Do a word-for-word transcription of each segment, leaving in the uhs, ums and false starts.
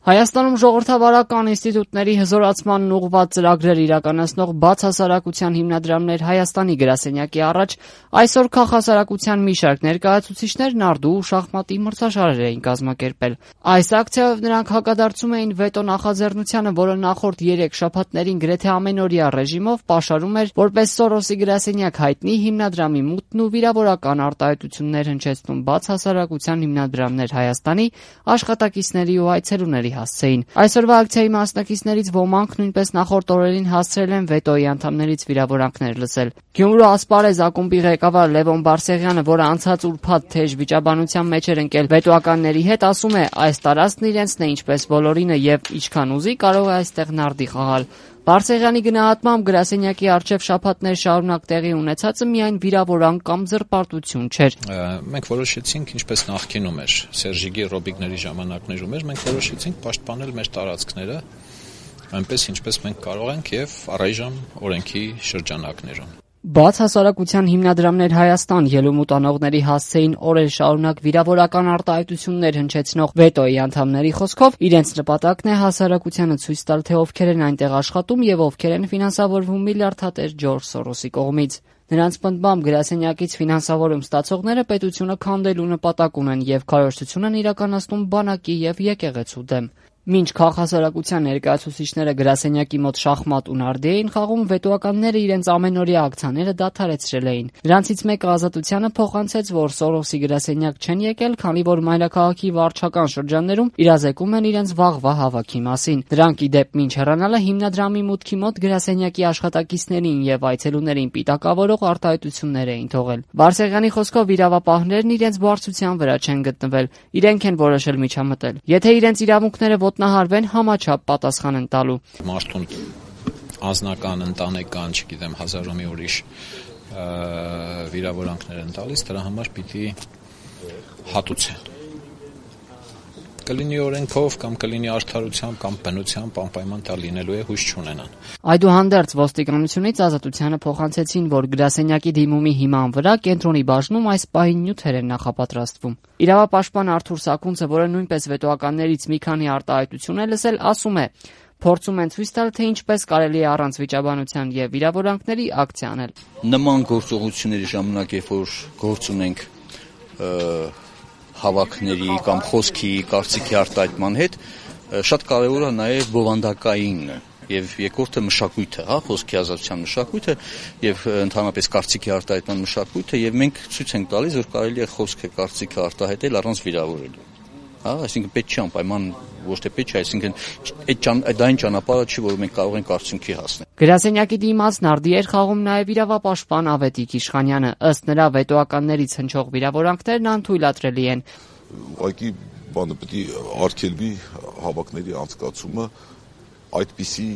Հայաստանում ժողովրդավարական ինստիտուտների հզորացմանն ուղղված ծրագրեր իրականացնող բացհասարակության հիմնադրամներ Հայաստանի գրասենյակի առաջ այսօր քաղաքահասարակության մի շարք ներկայացուցիչներ նարդու ու շախմատի մրցաշարեր էին կազմակերպել։ Այս ակցիայով նրանք հակադարձում էին վետո նախաձեռնությանը, որը նախորդ երեք շաբաթներին գրեթե ամենօրյա ռեժիմով պաշարում էր որպես Սորոսի գրասենյակ հայտնի հիմնադրամի մուտքն ու վիրավորական արտահայտություններ հնչեցնում բացհասարակության հիմնադրամներ Հայաստանի աշխատակիցների ու այցելուների հասցեին։ Այսօրվա ակցիայի մասնակիցներից ոմանք նույնպես նախորդ օրերին հասցրել են վետոյի անդամներից վիրավորանքներ լսել։ Գյումրու ասպարեզ ակումբի ղեկավար Լևոն Բարսեղյանը, որը անցած ուրբաթ թեժ վիճաբանության մեջ էր ընկել վետոականների հետ, ասում է, այս տարածքն իրենցն է ինչպես բոլորինը եւ ինչքան ուզի կարող է այստեղ նարդի խաղալ։ Բարսեղյանի գնահատմամբ գրասենյակի առջև շաբաթներ շարունակ տեղի ունեցածը միայն վիրավորանք կամ զրպարտություն չէր։ Մենք որոշեցինք, ինչպես նախկինում էր Սերժիգի Ռոբիգների ժամանակներում էր, մենք որոշեցինք պաշտպանել մեր տարածքները այնպես ինչպես մենք կարող ենք եւ առայժմ օրենքի շրջանակներում։ Բացհասարակության հիմնադրամներ Հայաստան ելումուտ անողների հասցեին օրեր շարունակ վիրավորական արտահայտություններ հնչեցնող վետոյի անդամների խոսքով իրենց նպատակն է հասարակությանը ցույց տալ, թե ովքեր են այնտեղ աշխատում եւ ովքեր են ֆինանսավորվում միլիարդատեր Ջորջ Սորոսի կողմից։ Նրանց պնդմամբ գրասենյակից ֆինանսավորում ստացողները պետությունը քանդելու նպատակ ունեն եւ քարոզություն են իրականացնում բանակի եւ եկեղեցու դեմ։ Մինչ քաղաքահասարակության ներկայացուցիչները գրասենյակի մոտ շախմատ ու նարդի էին խաղում, վետոականները իրենց ամենօրյա ակցիաները դադարեցրել էին։ Նրանցից մեկը Ազատությանը փոխանցեց, որ Սորոսի գրասենյակ չեն եկել, քանի որ մայրաքաղաքի վարչական շրջաններում իրազեկում են իրենց վաղվա հավաքի մասին։ Դրանք ի դեպ մինչ հեռանալը հիմնադրամի մուտքի մոտ գրասենյակի աշխատակիցներին եւ այցելուներին պիտակավորող արտահայտություններ էին թողել։ Բարսեղյանի խոսքով իրավապահներն իրենց բարձրության վրա չեն գտնվել, իրենք են որոշել միջամտել։ Եթե իրենց իրավունքները ոտնահարվեն, համաչափ պատասխան են տալու։ Մարդուն անձնական, ընտանեկան, չգիտեմ, հազար ու մի ուրիշ վիրավորանքներ են տալիս, դրա համար պիտի հատուցեն։ Կլինի օրենքով կամ կլինի արդարությամբ կամ բնությամբ անպայման դա լինելու է, հույս չունենան։ Այդուհանդերձ ոստիկանությունից Ազատությանը փոխանցեցին, որ գրասենյակի դիմումի հիման վրա կենտրոնի բաժնում այս պահին նյութեր են նախապատրաստվում։ Իրավապաշտպան Արթուր Սաքունցը, որը նույնպես վետոականներից մի քանի արտահայտություն է լսել, ասում է. Փորձում են ցույց տալ, թե ինչպես կարելի է առանց վիճաբանության եւ վիրավորանքների ակցիա անել։ Նման գործողությունների ժամանակ, երբ որ գործ ունենք հավաքների կամ խոսքի, կարծիքի արտահայտման հետ, շատ կարևոր է նաև բովանդակայինը եւ երկրորդը մշակույթը, հա, խոսքի ազատության մշակույթը եւ ընդհանրապես կարծիքի արտահայտման մշակույթը եւ մենք ցույց ենք տալիս, որ կարելի է խոսքը, կարծիքը արտահայտել առանց վիրավորելու։ Հա, այսինքն պետք չի անպայման ոչ թե պետք չէ, այսինքն այդ դա այն ճանապարհը չի, որ մենք կարող ենք արդյունքի հասնել։ Գրասենյակի դիմաց նարդի էր խաղում նաև իրավապաշտպան Ավետիք Իշխանյանը, ըստ նրա վետոականներից հնչող վիրավորանքներն անթույլատրելի են։ Ուղղակի բանը պետք է արգելվի հավաքների անցկացումը այդպիսի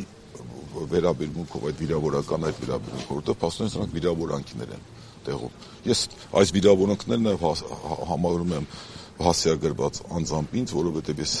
վերաբերմունքով, այդ վիրավորական այդ վերաբերմունքով, որտեղ փաստորեն սրանք վիրավորանքներ են տեղում։ Ես այս վիրավորանքներն համարում եմ հասցեագրված անձամբ ինձ, որովհետև ես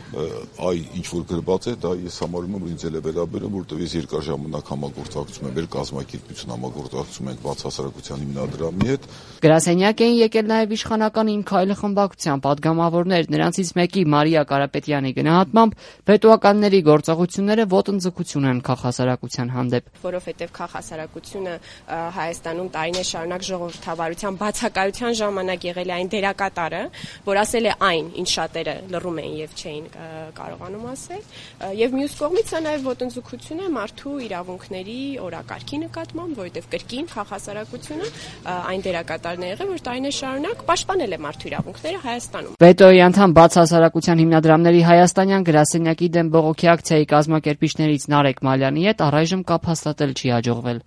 այ ինչ որ գրված է, դա ես համարում եմ, որ ինձ էլ է վերաբերում, որովհետև ես երկար ժամանակ համագործակցում եմ, մեր կազմակերպություն համագործակցում ենք բացհասարակության հիմնադրամի հետ։ Գրասենյակ էին եկել նաև իշխանական Իմ քայլը խմբակցության պատգամավորներ, նրանցից մեկի Մարիա Կարապետյանի գնահատմամբ վետոականների գործողությունները ոտնձգություն են քաղաքահասարակության հանդեպ։ Որովհետև քաղաքահասարակությունը Հայաստանում տարիներ շարունակ ժողովրդավարության բացակայության ժամանակ եղել է այն դերակատարը, որ ասել է այն, ինչ շատերը լռում էին եւ չէին կարողանում ասել, եւ մյուս կողմից է նաեւ ոտնձգություն է մարդու իրավունքների օրակարգի նկատմամբ, որովհետեւ կրկին քաղաքահասարակությունը այն դերակատարն է եղել, որ տարիներ շարունակ պաշտպանել է մարդու իրավունքները Հայաստանում։ Վետոյի անդամ բացհասարակության հիմնադրամների հայաստանյան գրասենյակի դեմ բողոքի ակցիայի կազմակերպիչներից Նարեկ Մալյանի հետ առայժմ կապ հաստատել չի հաջողվել։